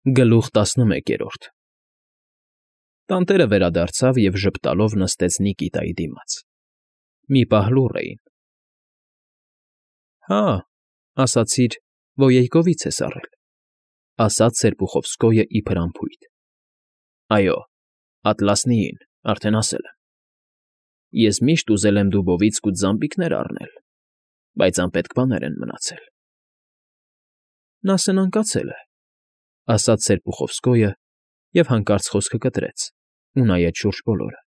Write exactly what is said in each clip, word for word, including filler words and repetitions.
Գլուխ տասնմեկերորդ Տանտերը վերադարձավ և ժպտալով նստեց Նիկիտայի դիմաց. մի պահ լուռ էին։ ֊ Հա, ասացիր, Վոյեյկովից ես առել,֊ ասաց Սերպուխովսկոյը իբր անփույթ։ ֊ Այո, Ատլասնիին, արդեն ասել եմ։ Ես միշտ ուզել եմ դուբովիցկուտ զամբիկներ առնել, բայց անպետք բաներ են մնացել։ ֊ Նա սնանկացել է,֊ ասաց Սերպուխովսկոյը և հանկարծ խոսքը կտրեց ու նայեց շուրջ բոլորը.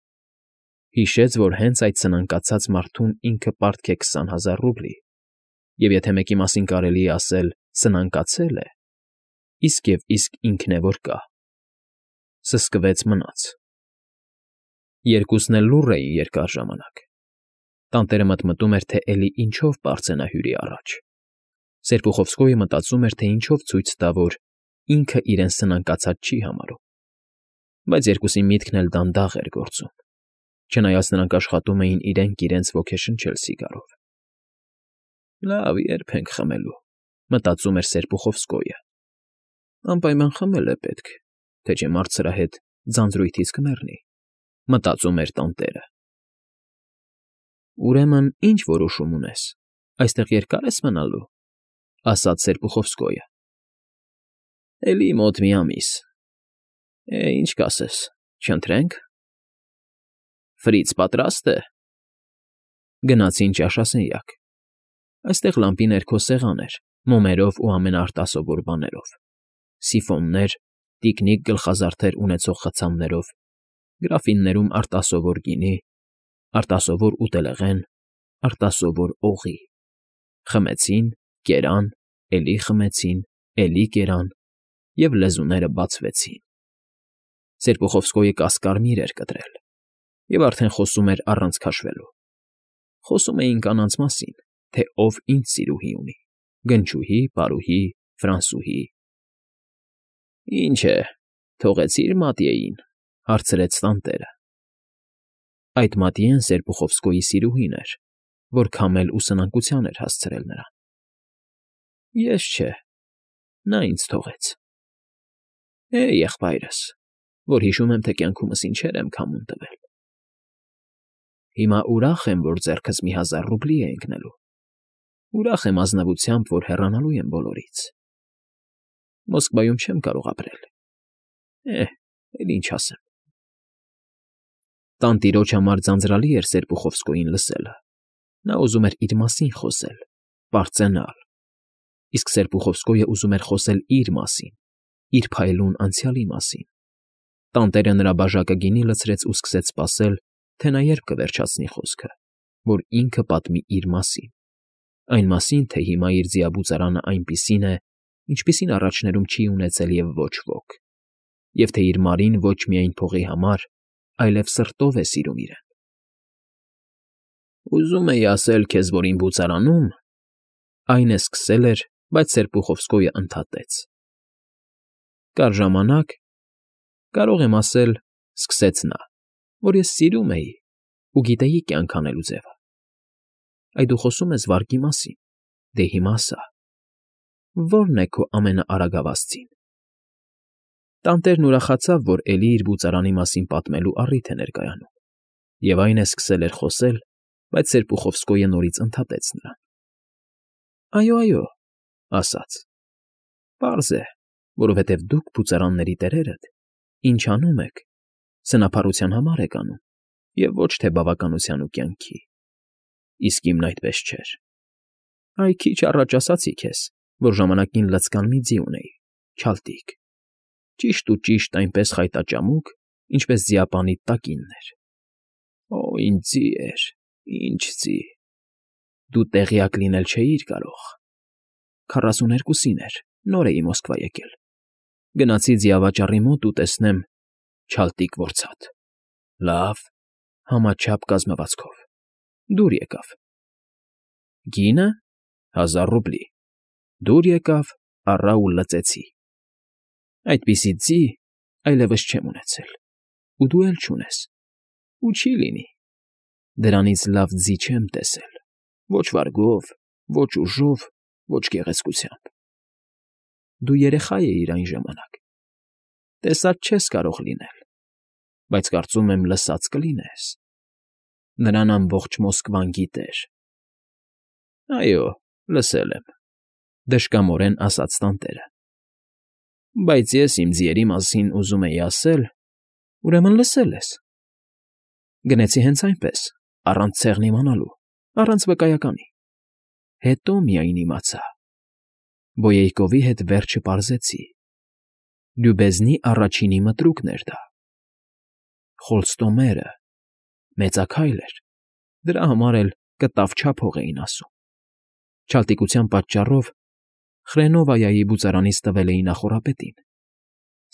հիշեց, որ հենց այդ սնանկացած մարդուն ինքը պարտք է քսան հազար ռուբլի, և եթե մեկի մասին կարելի է ասել «սնանկացել է», իսկ և իսկ ինքն է որ կա… Սսկվեց մնաց։ Երկուսն էլ լուռ էին երկար ժամանակ։ Տանտերը մտմտում էր, թե էլի ինչով պարծենա հյուրի առաջ. Սերպուխովսկոյը մտածում էր, թե ինչով ցույց տա, որ ինքը իրեն սնանկացած չի համարում։ Բայց երկուսի միտքն էլ դանդաղ էր գործում, չնայած նրանք աշխատում էին իրենք իրենց ոգեշնչել սիգարով։ «Լավ, ե՞րբ ենք խմելու,֊ մտածում էր Սերպուխովսկոյը։ Անպայման խմել է պետք, թե չէ մարդ սրա հետ ձանձրույթից կմեռնի,֊ մտածում էր տանտերը։ Ուրեմն ի՞նչ որոշում ունես, այստեղ երկա՞ր ես մնալու,֊ ասաց Սերպուխովսկոյը։ Էլի մոտ մի ամիս։ Է, ինչ կասես, չընթրե՞նք։ Ֆրից պատրա՞ստ է։ Գնացին ճաշասենյակ։ Այստեղ լամպի ներքո սեղան էր, մոմերով ու ամենաարտասովոր բաներով, սիֆոններ, տիկնիկ գլխազարդեր ունեցող խցաններով, գրաֆիններում արտասովոր գինի, արտասովոր ուտելեղեն, արտասովոր օղի։ Խմեցին, կերան, էլի խմեցին, էլի կերան, և լեզուները բացվեցին։ Սերպուխովսկոյը կասկարմիր էր կտրել և արդեն խոսում էր առանց քաշվելու։ Խոսում էին կանանց մասին, թե ով ինչ սիրուհի ունի՝ գնչուհի, պարուհի, ֆրանսուհի։ ֊ Ինչ է, թողեցի՞ր Մատիեին,֊ հարցրեց տանտերը։ Այդ Մատիեն Սերպուխովսկոյի սիրուհին էր, որ քամել ու սնանկության էր հասցրել նրան։ ֊ Ես չէ, նա ինձ թողեց։ ֊ Է, եղբայրս, որ հիշում եմ, թե կյանքումս ինչեր եմ քամուն տվել։ Հիմա ուրախ եմ, որ ձեռքս մի հազար ռուբլի է ընկնելու։ Ուրախ եմ ազնվությամբ, որ հեռանալու եմ բոլորից։ Մոսկվայում չեմ կարող ապրել։ Է, էլ ինչ ասեմ։ Տանտիրոջ համար ձանձրալի էր Սերպուխովսկոյին լսելը։ Նա ուզում էր իր մասին խոսել, պարծենալ, իսկ Սերպուխովսկոյը ուզում էր խոսել իր մասին, իր փայլուն անցյալի մասին։ Տանտերը նրա բաժակը գինի լցրեց ու սկսեց սպասել, թե նա երբ կվերջացնի խոսքը, որ ինքը պատմի իր մասին, այն մասին, թե հիմա իր ձիաբուծարանը այնպիսին է, ինչպիսին առաջներում չի ունեցել և ոչ ոք, և թե իր Մարին ոչ միայն փողի համար, այլև սրտով է սիրում իրեն։ Ուզում էի ասել քեզ, որ իմ բուծարանում,֊ այն է սկսել էր, բայց Սերպուխովսկոյը ընդհատեց։ Կար ժամանակ, կարող եմ ասել,֊ սկսեց նա,֊ որ ես սիրում էի ու գիտեի կյանք անելու ձևը։ Այ դու խոսում ես վարկի մասին, դե հիմա ասա, ո՞րն է քո ամենաարագավաս ձին։ Տանտերն ուրախացավ, որ էլի իր բուծարանի մասին պատմելու առիթ է ներկայանում, և այն է սկսել էր խոսել, բայց Սերպուխովսկոյը նորից ընդհատեց նրան։ Այո, այո,֊ ասաց,֊ պարզ է, որովհետև դուք, բուծարանների տերերդ, ինչ անում եք, սնափառության համար եք անում, և ոչ թե բավականության ու կյանքի, իսկ իմն այդպես չէր։ Այ քիչ առաջ ասացի քեզ, որ ժամանակին լցկան մի ձի ունեի, չալտիկ, ճիշտ ու ճիշտ այնպես խայտաճամուկ, ինչպես ձիապանիդ տակինն էր։ Օ, ինչ ձի էր, ինչ ձի… Դու տեղյակ լինել չէիր կարող… Քառասուներկուսին էր, նոր էի Մոսկվա եկել։ Գնացի ձիավաճառի մոտ ու տեսնեմ՝ չալտիկ որցատ, լավ, համաչափ կազմվածքով, դուր եկավ։ Գինը՝ հազար ռուբլի, դուր եկավ, առա ու լծեցի։ Այդպիսի ձի այլևս չեմ ունեցել, ու դու էլ չունես, ու չի լինի։ Դրանից լավ ձի չեմ տեսել, ոչ վարգով, ոչ ուժով, ոչ գեղեցկությամբ։ Դու երեխա էիր այն ժամանակ, Տեսած չես կարող լինել, բայց կարծում եմ լսած կլինես. նրան ամբողջ Մոսկվան գիտեր։ ֊ Այո, լսել եմ,֊ դժկամորեն ասաց տանտերը։ ֊ Բայց ես իմ ձիերի մասին ուզում էի ասել, ուրեմն լսել ես։ Գնեցի հենց այնպես, առանց ցեղն իմանալու, առանց վկայականի։ Հետո միայն իմացա։ Բոյեյկովի հետ վերջը պարզեցի։ Լյուբեզնի առաջինի մտրուկն էր դա։ Խոլստոմերը, մեծաքայլ էր, դրա համար էլ կտավ չափող էին ասում։ Չալտիկության պատճառով Խրենովայայի բուծարանից տվել էի նախորապետին,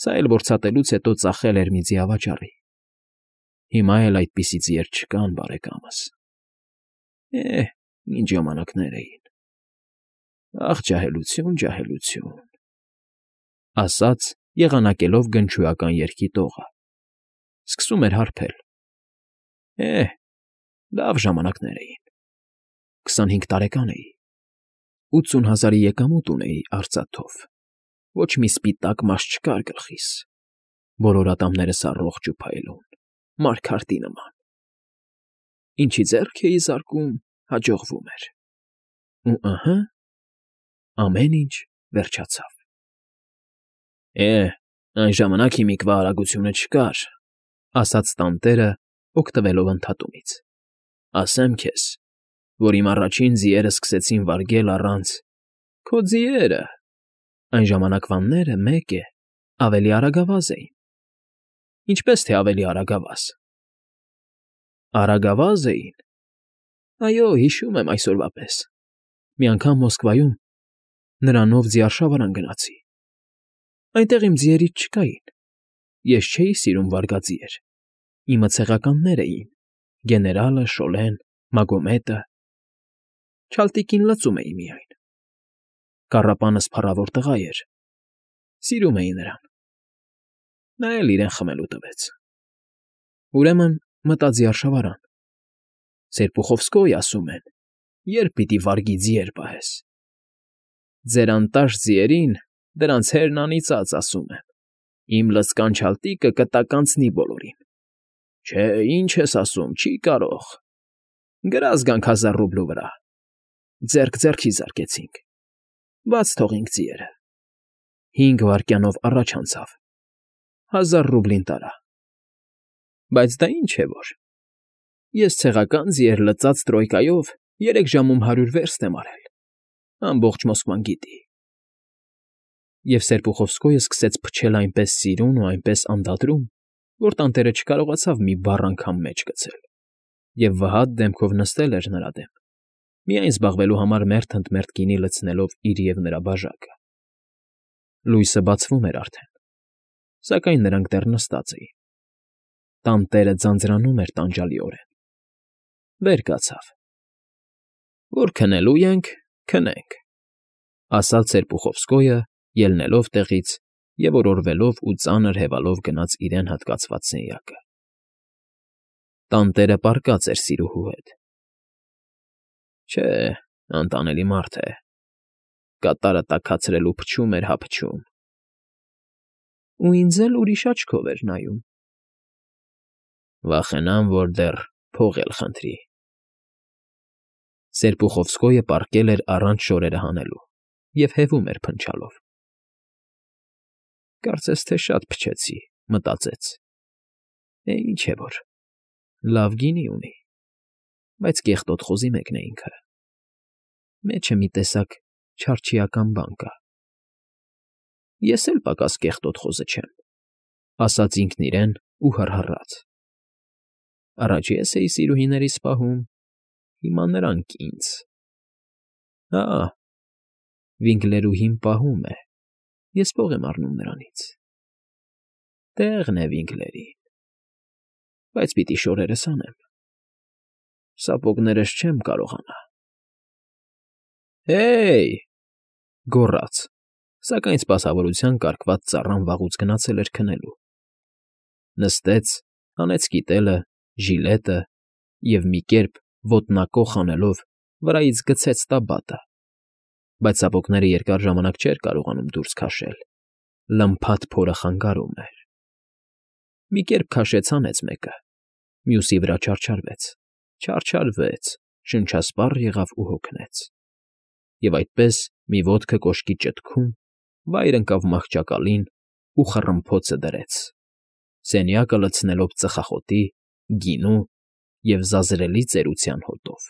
սա էլ որցատելուց հետո ծախել էր մի ձիավաճառի։ Հիմա էլ այդպիսի ձիեր չկան, բարեկամս։ Է, ինչ ժամանակներ էին։ Ախ, ջահելություն, ջահելություն,֊ ասաց եղանակելով գնչուական երգի տողը։ Սկսում էր հարբել։ Է, լավ ժամանակներ էին։ քսանհինգ տարեկան էի։ ութսուն հազարի եկամուտ ունեի արծաթով, ոչ մի սպիտակ մաս չկար գլխիս, բոլոր ատամներս առողջ ու փայլուն, մարգարտի նման։ Ինչի ձեռք էի զարկում, հաջողվում էր։ Ու ըհը, ամեն ինչ վերջացավ։ Է, այն ժամանակ հիմիկվա արագությունը չկար,֊ ասաց տանտերը, օգտվելով ընդհատումից։ Ասեմ քեզ, որ իմ առաջին ձիերը սկսեցին վարգել առանց… Քո ձիերը… Այն ժամանակվանները, մեկ է, ավելի արագավազ էին։ Ինչպես թե ավելի արագավազ… Արագավազ էին… Այո, հիշում եմ այսօրվա պես։ Մի անգամ Մոսկվայում նրանով ձիարշավարան գնացի։ Այնտեղ իմ ձիերից չկային։ Ես չէի սիրում վարգաձիեր։ Իմը ցեղականներ էին՝ գեներալը, Շոլեն, Մագոմետը։ Չալտիկին լծում էի միայն։ Կառապանս փառավոր տղա էր։ Սիրում էի նրան։ Նա էլ իրեն խմելու տվեց։ Ուրեմն մտա ձիարշավարան։ Սերպուխովսկոյ, ասում են, երբ պիտի վարգի ձիեր պահես։ Ձեր անտաշ ձիերին դրանց հերն անիծած, ասում եմ։ Իմ լցկան չալտիկը կտականցնի բոլորին։ Չէ, ինչ ես ասում, չի կարող։ Գրազ գանք հազար ռուբլու վրա։ Ձեռք ձեռքի զարկեցինք։ Բաց թողինք ձիերը։ Հինգ վայրկյանով առաջ անցավ։ Հազար ռուբլին տարա։ Բայց դա ինչ է որ… Ես ցեղական ձիեր լծած տրոյկայով երեք ժամում հարյուր վերստ եմ արել։ Ամբողջ Մոսկվան գիտի։ Եվ Սերպուխովսկոյը սկսեց փչել այնպես սիրուն ու այնպես անդադրում, որ տանտերը չկարողացավ մի բառ անգամ մեջ գցել, և վհատ դեմքով նստել էր նրա դեմ, միայն զբաղվելու համար մերթ ընդ մերթ գինի լցնելով իր և նրա բաժակը։ Լույսը բացվում էր արդեն, սակայն նրանք դեռ նստած էին։ Տանտերը ձանձրանում էր տանջալիորեն։ Վեր կացավ։ Որ քնելու ենք, քնենք,֊ ասաց Սերպուխովսկոյը, ելնելով տեղից և օրորվելով ու ծանր հևալով գնաց իրեն հատկացված սենյակը։ Տանտերը պառկած էր սիրուհու հետ։ Չէ, անտանելի մարդ է։ Կատարը տաքացրել ու փչում էր հա փչում։ Ու ինձ էլ ուրիշ աչքով էր նայում։ Վախենամ, որ դեռ փող էլ խնդրի։ Սերպուխովսկոյը պառկել էր առանց շորերը հանելու և հևում էր փնչալով։ Կարծես թե շատ փչեցի, մտածեց։ Է, ինչ է որ… Լավ գինի ունի, բայց կեղտոտ խոզի մեկն է ինքը։ Մեջը մի տեսակ չարչիական բան կա։ Ես էլ պակաս կեղտոտ խոզը չեմ, ասաց ինքն իրեն ու հռհռաց։ Առաջ ես էի սիրուհիներիս պահում, հիմա նրանք՝ ինձ։ Հա, Վինկլերուհին պահում է, ես փող եմ առնում նրանից։ Տեղն է Վինկլերին… Բայց պիտի շորերս հանեմ։ Սապոգներս չեմ կարողանա։ Հե՜յ,֊ գոռաց, սակայն սպասավորության կարգված ծառան վաղուց գնացել էր քնելու։ Նստեց, հանեց կիտելը, ժիլետը և մի կերպ ոտնակոխ անելով վրայից գցեց տաբատը, բայց սապոգները երկար ժամանակ չէր կարողանում դուրս քաշել, Լմփաթ փորը խանգարում էր։ Մի կերպ քաշեց հանեց մեկը, մյուսի վրա չարչարվեց, չարչարվեց, շնչասպառ եղավ ու հոգնեց, և այդպես, մի ոտքը կոշկի ճտքում, վայր ընկավ մահճակալին ու խռմփոցը դրեց, սենյակը լցնելով ծխախոտի, գինու և զազրելի ծերության հոտով։